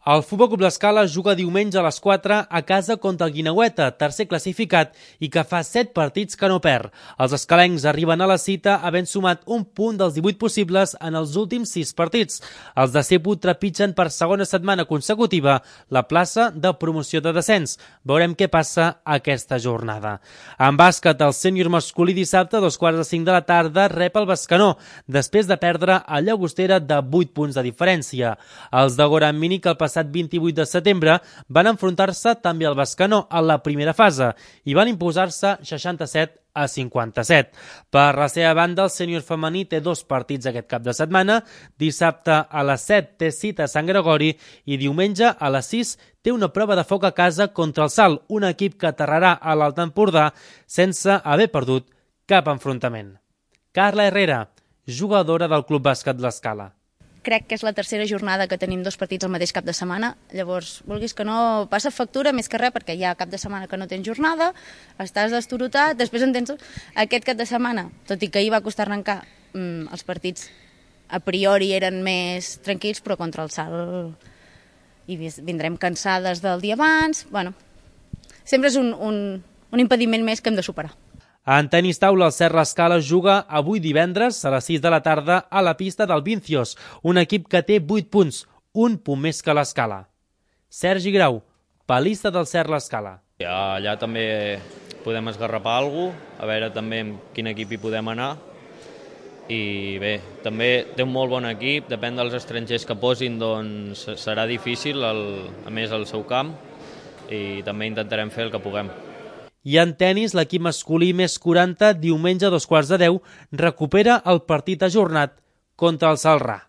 El Futbol Club l'Escala juga diumenge a les 4 a casa contra el Guineueta, tercer classificat i que fa 7 partits que no perd. Els escalencs arriben a la cita havent sumat un punt dels 18 possibles en els últims 6 partits. Els de Cepu trepitgen per segona setmana consecutiva la plaça de promoció de descens. Veurem què passa aquesta jornada. En bàsquet, el sènior masculí dissabte a 2:45 de la tarda rep el Bescanó, després de perdre a Llagostera de 8 punts de diferència. Els de Goran Mini, que el passat 28 de setembre van enfrontar-se també al Bescanó en la primera fase i van imposar-se 67-57. Per la seva banda, el sènior femení té 2 partits aquest cap de setmana. Dissabte a les 7 té cita a Sant Gregori i diumenge a les 6 té una prova de foc a casa contra el Salt, un equip que aterrarà a l'Alt Empordà sense haver perdut cap enfrontament. Carla Herrera, jugadora del Club Bàsquet l'Escala. Crec que és la tercera jornada que tenim 2 partits al mateix cap de setmana, llavors, vulguis que no, passa factura més que res, perquè hi ha cap de setmana que no tens jornada, estàs destorotat, després en tens aquest cap de setmana, tot i que ahir va costar arrencar, els partits a priori eren més tranquils, però contra el Salt i vindrem cansades del dia abans, bueno, sempre és un impediment més que hem de superar. En tenis taula, el Cert l'Escala juga avui divendres a les 6 de la tarda a la pista del Vincios, un equip que té 8 punts, un punt més que l'Escala. Sergi Grau, palista del Cert l'Escala. Allà també podem esgarrapar alguna cosa, a veure també amb quin equip hi podem anar. I bé, també té un molt bon equip, depèn dels estrangers que posin, doncs serà difícil, a més al seu camp, i també intentarem fer el que puguem. I en tenis, l'equip masculí més 40, diumenge a 2:15 recupera el partit ajornat contra el Celrà.